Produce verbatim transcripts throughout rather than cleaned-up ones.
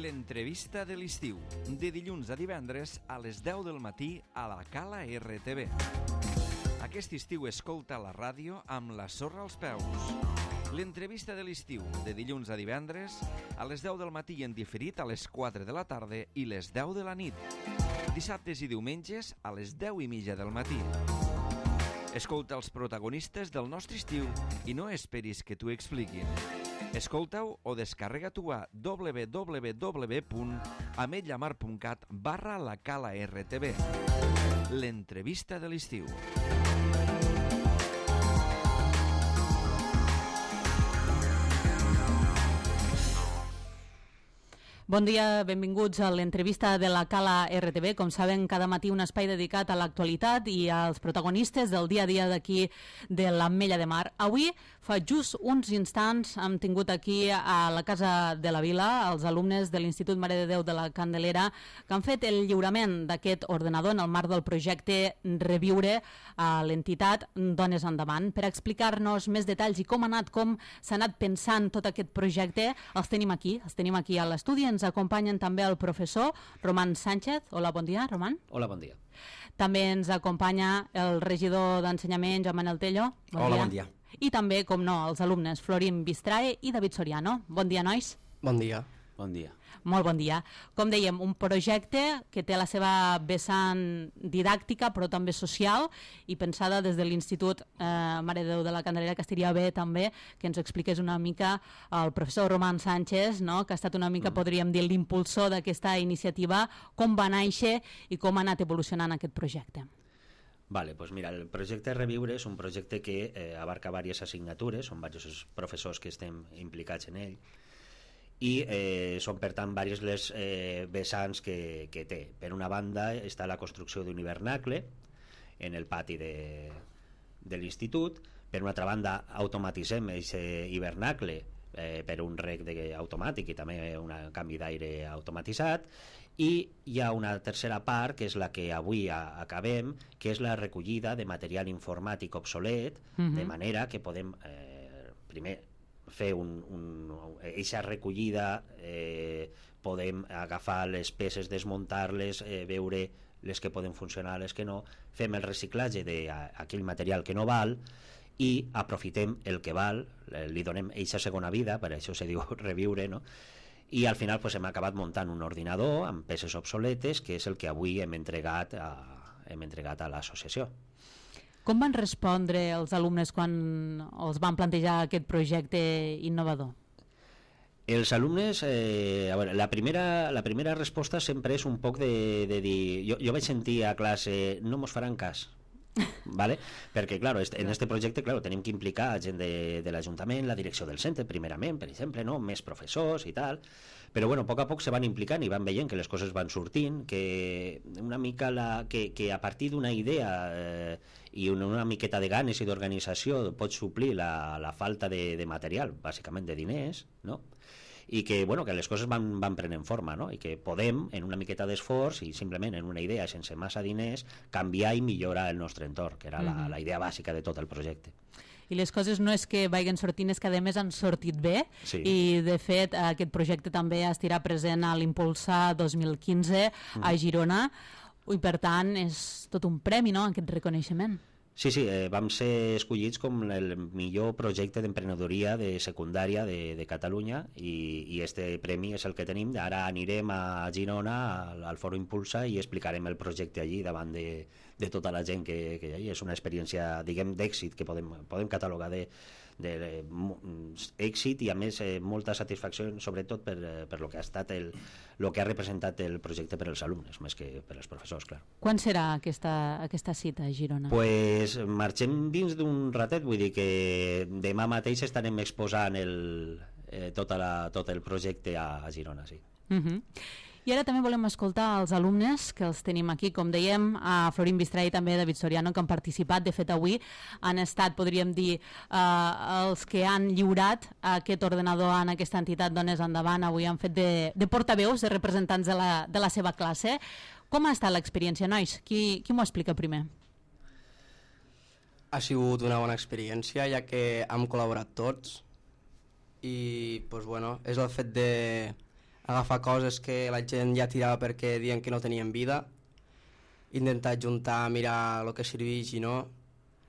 L'entrevista de l'estiu, de dilluns a divendres a les deu del matí a la Cala R T V. Aquest estiu escolta la ràdio amb la sorra als peus. L'entrevista de l'estiu, de dilluns a divendres a les deu del matí i en diferit a les quatre de la tarda i les deu de la nit. Dissabtes i diumenges a les deu i mitja del matí. Escolta els protagonistes del nostre estiu i no esperis que t'ho expliquin. Escolta-ho o descarrega-t'ho a w w w punt ametlla mar punt cat barra la Cala R T V. L'entrevista de l'estiu. Bon dia, benvinguts a l'entrevista de la Cala R T V. Com saben, cada matí un espai dedicat a l'actualitat i als protagonistes del dia a dia d'aquí de l'Ametlla de Mar. Avui, fa just uns instants, hem tingut aquí a la Casa de la Vila els alumnes de l'Institut Mare de Déu de la Candelera que han fet el lliurament d'aquest ordenador en el marc del projecte Reviure a l'entitat Dones Endavant. Per explicar-nos més detalls i com ha anat, com s'ha anat pensant tot aquest projecte, els tenim aquí, els tenim aquí a l'estudi. Ens acompanyen també el professor Román Sánchez. Hola, bon dia, Román. Hola, bon dia. També ens acompanya el regidor d'Ensenyament, Joan Manel Tello. Bon Hola, dia. bon dia. I també, com no, els alumnes Florín Bistrae i David Soriano. Bon dia, nois. Bon dia. Bon dia. Molt bon dia. Com dèiem, un projecte que té la seva vessant didàctica però també social i pensada des de l'Institut eh, Mare de Déu de la Candelera, que estaria bé també que ens expliqués una mica el professor Román Sánchez, no? Que ha estat una mica, mm. podríem dir, l'impulsor d'aquesta iniciativa, com va néixer i com ha anat evolucionant aquest projecte. Vale, pues mira, el projecte Reviure és un projecte que eh, abarca diverses assignatures, són diversos professors que estem implicats en ell, i eh, són per tant diverses les eh, vessants que, que té. Per una banda està la construcció d'un hivernacle en el pati de, de l'institut. Per una altra banda automatitzem aquest hivernacle eh, per un rec de, automàtic i també un canvi d'aire automatitzat, i hi ha una tercera part que és la que avui a, acabem, que és la recollida de material informàtic obsolet, mm-hmm. de manera que podem eh, primer fer un, un, eixa recollida, eh, podem agafar les peces, desmuntar-les, eh, veure les que poden funcionar, les que no, fem el reciclatge d'aquell material que no val i aprofitem el que val, li donem eixa segona vida, per això se diu reviure, no? I al final pues, hem acabat muntant un ordinador amb peces obsoletes, que és el que avui hem entregat a, hem entregat a l'associació. Com van respondre els alumnes quan els van plantejar aquest projecte innovador? Els alumnes, eh, a veure, la primera, la primera resposta sempre és un poc de, de dir... Jo, jo vaig sentir a classe, no mos faran cas, ¿vale? Perquè, claro, en este projecte, claro, tenim que implicar gent de, de l'Ajuntament, la direcció del centre, primerament, per exemple, no? Més professors i tal, però bueno, a poc a poc se van implicant i van veient que les coses van sortint, que una mica la, que, que a partir d'una idea eh, i una, una miqueta de ganes i d'organització pot suplir la, la falta de, de material, bàsicament de diners, no? I que, bueno, que les coses van, van prenent forma, no? I que podem, en una miqueta d'esforç i simplement en una idea sense massa diners, canviar i millorar el nostre entorn, que era la, la idea bàsica de tot el projecte. I les coses no és que vagin sortint, és que a més han sortit bé, sí. I de fet aquest projecte també estarà present a l'Impulsa dos mil quinze mm. a Girona, i per tant és tot un premi, no?, aquest reconeixement. Sí, sí, eh, vam ser escollits com el millor projecte d'emprenedoria de secundària de, de Catalunya i, i este premi és el que tenim. Ara anirem a Girona al, al Foro Impulsa i explicarem el projecte allí davant de, de tota la gent que, que hi ha. És una experiència, diguem, d'èxit que podem, podem catalogar de, de, de èxit i a més eh, molta satisfacció, sobretot per, per lo que ha estat el, lo que ha representat el projecte per als alumnes, més que per als professors, clar. Quan serà aquesta, aquesta cita a Girona? Pues marxem dins d'un ratet, vull dir que demà mateix estarem exposant el, eh, tota la, tot el projecte a, a Girona, sí. Uh-huh. I ara també volem escoltar els alumnes que els tenim aquí, com dèiem, a Florín Bistrae i també a David Soriano, que han participat. De fet, avui han estat, podríem dir, eh, els que han lliurat aquest ordenador en aquesta entitat Dones Endavant. Avui han fet de, de portaveus, de representants de la, de la seva classe. Com ha estat l'experiència, nois? Qui, qui m'ho explica primer? Ha sigut una bona experiència, ja que hem col·laborat tots i pues, bueno, és el fet de agafar coses que la gent ja tirava perquè diuen que no tenien vida, intentar juntar, mirar el que serveix i no,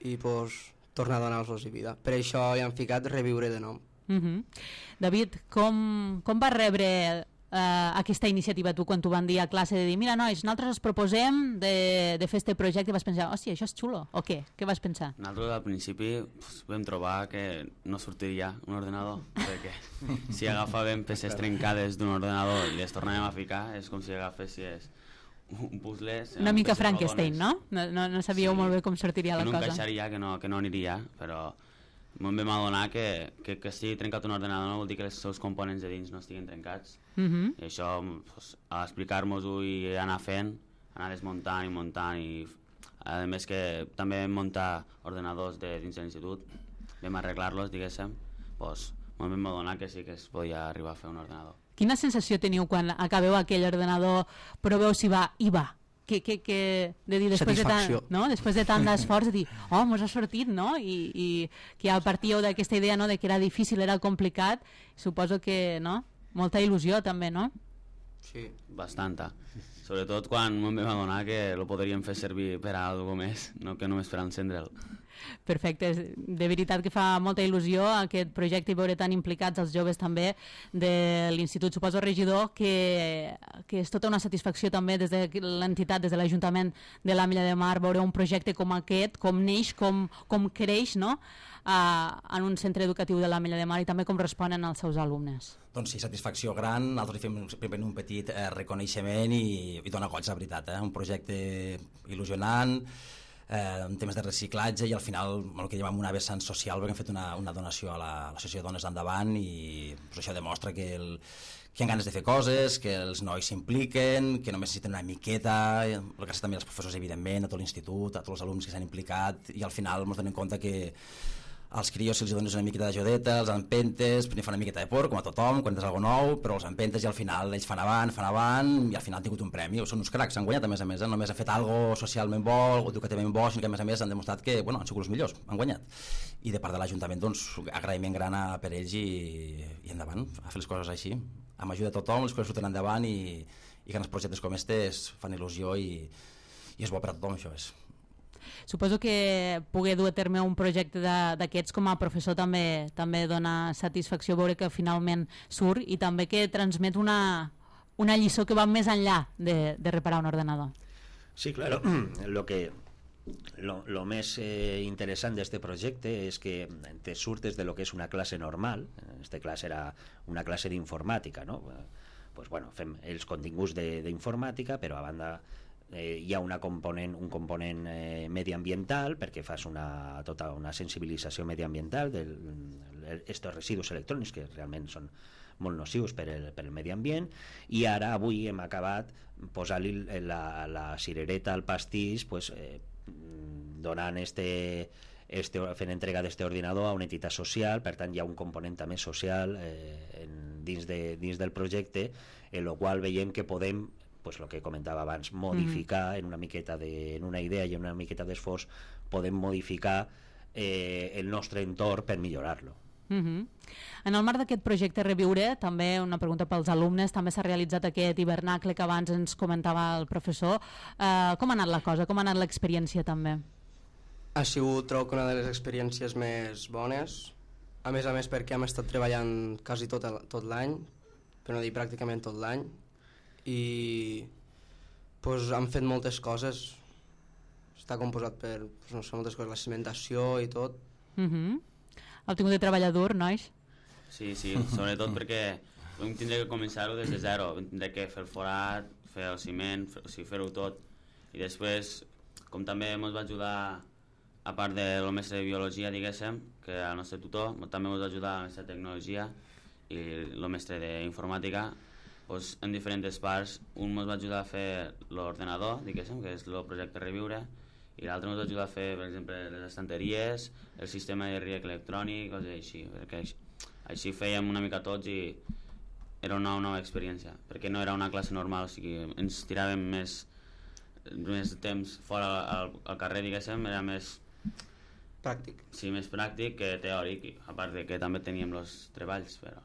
i pues, tornar a donar-los vida. Per això hi han ficat reviure de nom. Uh-huh. David, com, com vas rebre Uh, aquesta iniciativa tu quan t'ho van dir a classe de dir, mira nois, nosaltres us proposem de, de fer este projecte, i vas pensar, hòstia, això és xulo, o què? Què vas pensar? Nosaltres al principi pues, vam trobar que no sortiria un ordenador, perquè si agafàvem peces trencades d'un ordenador i les tornàvem a ficar, és com si agafessis un puzzle... Una mica Frankenstein, no? No, no? no sabíeu sí, molt bé com sortiria la cosa. Que no encaixaria, que no, que no aniria, però em vam adonar que, que, que si he trencat un ordenador no vol dir que els seus components de dins no estiguin trencats. Uh -huh. I això, pues, a explicar-nos-ho i anar fent, anar desmuntant i muntant, i a més que també vam muntar ordenadors de dins de l'institut, vam arreglar-los, diguéssim, pues, ens vam adonar que sí que es podia arribar a fer un ordenador. Quina sensació teniu quan acabeu aquell ordenador, proveu si va i va? Que, que, que de dir, després de tant, no? Després de tant d'esforç, de dir, oh, mos ha sortit, no? I, i que ja partíeu d'aquesta idea, no?, de que era difícil, era complicat, suposo que, no?, molta il·lusió també, no? Sí, bastanta. Sobretot quan em vam adonar que lo podríem fer servir per a alguna més, no que només per encendre'l. Perfecte, de veritat que fa molta il·lusió aquest projecte i veure tan implicats els joves també de l'Institut. Suposo, regidor, que, que és tota una satisfacció també des de l'entitat, des de l'Ajuntament de l'Ametlla de Mar, veure un projecte com aquest, com neix, com, com creix, no?, a, en un centre educatiu de l'Ametlla de Mar, i també com responen els seus alumnes. Doncs sí, satisfacció gran. Nosaltres fem primer un petit eh, reconeixement i, i dona goig, la veritat, eh? Un projecte il·lusionant, eh, en temes de reciclatge, i al final el que llevam una vessant social, perquè hem fet una, una donació a l'Associació de Dones d'Endavant, i pues, això demostra que, el, que hi ha ganes de fer coses, que els nois s'impliquen, que només necessiten una miqueta, gràcies també als professors, evidentment, a tot l'institut, a tots els alumnes que s'han implicat, i al final ens donem compte que als crios si els dones una miqueta d'ajudeta, els empentes, primer fan una miqueta de por, com a tothom, quan tens alguna cosa nou, però els empentes i al final ells fan avant, fan avant, i al final han tingut un premi. Són uns cracs, han guanyat a més a més, eh? Només han fet alguna socialment bo, educativament bo, sinó que a més a més han demostrat que bueno, han sigut els millors, han guanyat. I de part de l'Ajuntament, doncs, agraïment gran a, per ells i, i endavant, a fer les coses així. Amb ajuda de tothom, les coses surten endavant, i, i grans projectes com aquests fan il·lusió i, i és bo per a tothom, això és. Suposo que poder dur a terme un projecte d'aquests com a professor també també dona satisfacció veure que finalment surt, i també que transmet una, una lliçó que va més enllà de, de reparar un ordenador. Sí, claro. Lo que lo, lo més eh, interessant d'este projecte és que te surtes de lo que és una classe normal. Esta classe era una classe d'informàtica, no? Pues bueno, fem els continguts d'informàtica, però a banda eh, hi ha una component, un component eh, mediambiental, perquè fas una, tota una sensibilització mediambiental d'estos residus electrònics que realment són molt nocius per el, per el medi ambient, i ara avui hem acabat posant-li la, la cirereta al pastís, pues, eh, donant este, este, fent entrega d'este ordinador a una entitat social. Per tant hi ha un component també social eh, en, dins, de, dins del projecte, en el qual veiem que podem, pues, el que comentava abans, modificar mm. en una miqueta de, en una idea i en una miqueta d'esforç podem modificar eh, el nostre entorn per millorar-lo. Uh-huh. En el marc d'aquest projecte Reviure, també una pregunta pels alumnes, també s'ha realitzat aquest hivernacle que abans ens comentava el professor. Uh, com ha anat la cosa? Com ha anat l'experiència també? Ha sigut, trobo, una de les experiències més bones, a més a més perquè hem estat treballant quasi tot, tot l'any, per no dir pràcticament tot l'any, i pues, hem fet moltes coses. Està composat per pues, no sé, moltes coses, la cimentació i tot. Uh-huh. Heu tingut de treballar dur, nois? Sí, sí, sobretot perquè vam tindre que començar-ho des de zero, vam tindre que fer el forat, fer el ciment, fer, o sigui, fer-ho tot, i després, com també ens va ajudar, a part del mestre de biologia, diguéssim, que el nostre tutor, també ens va ajudar el mestre de tecnologia i el mestre d'informàtica, doncs, en diferents parts. Un ens va ajudar a fer l'ordenador, diguéssim, que és el projecte Reviure, i l'altre ens va ajudar a fer, per exemple, les estanteries, el sistema de riec electrònic, coses així, perquè així, així fèiem una mica tots i era una nova experiència, perquè no era una classe normal, o sigui, ens tiràvem més, més temps fora al, al carrer, diguéssim, era més... Pràctic. Sí, més pràctic que teòric, a part de que també teníem els treballs, però...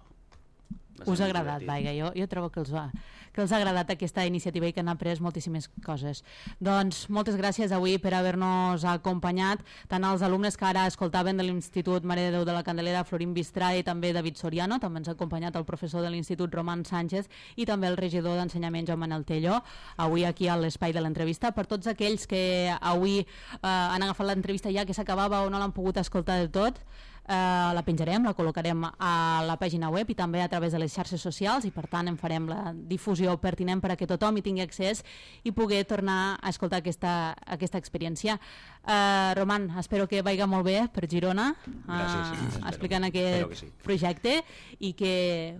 Us ha agradat, vaja, jo, jo trobo que els, ha, que els ha agradat aquesta iniciativa i que han après moltíssimes coses. Doncs moltes gràcies avui per haver-nos acompanyat, tant als alumnes que ara escoltaven de l'Institut Mare de Déu de la Candelera, Florín Bistrà, i també David Soriano, també ens ha acompanyat el professor de l'Institut Roman Sánchez i també el regidor d'Ensenyament Joan Manel Telló, avui aquí a l'espai de l'entrevista. Per tots aquells que avui eh, han agafat l'entrevista ja que s'acabava o no l'han pogut escoltar del tot, Uh, la penjarem, la col·locarem a la pàgina web i també a través de les xarxes socials, i per tant en farem la difusió pertinent per a que tothom hi tingui accés i pugui tornar a escoltar aquesta, aquesta experiència. Uh, Roman, espero que vagi molt bé per Girona, uh, sí, explicant aquest sí. projecte, i que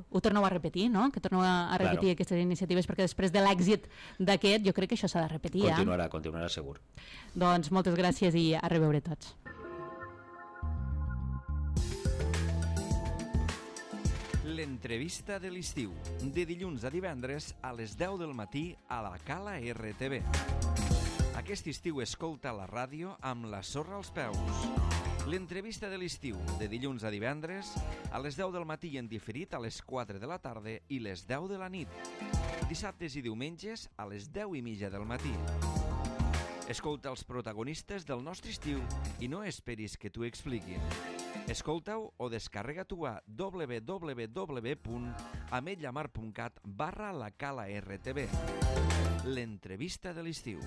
ho torneu a repetir, no? Que torneu a repetir claro. Aquestes iniciatives, perquè després de l'èxit d'aquest jo crec que això s'ha de repetir. Continuarà, eh? continuarà segur. Doncs moltes gràcies i a reveure tots. L'entrevista de l'estiu, de dilluns a divendres a les deu del matí a la Cala R T V. Aquest estiu escolta la ràdio amb la sorra als peus. L'entrevista de l'estiu, de dilluns a divendres a les deu del matí i en diferit a les quatre de la tarda i les deu de la nit. Dissabtes i diumenges a les deu i mitja del matí. Escolta els protagonistes del nostre estiu i no esperis que t'ho expliquin. Escolta-ho o descarrega-t'ho a w w w punt ametlllamar punt cat barra la Cala R T V. L'entrevista de l'estiu.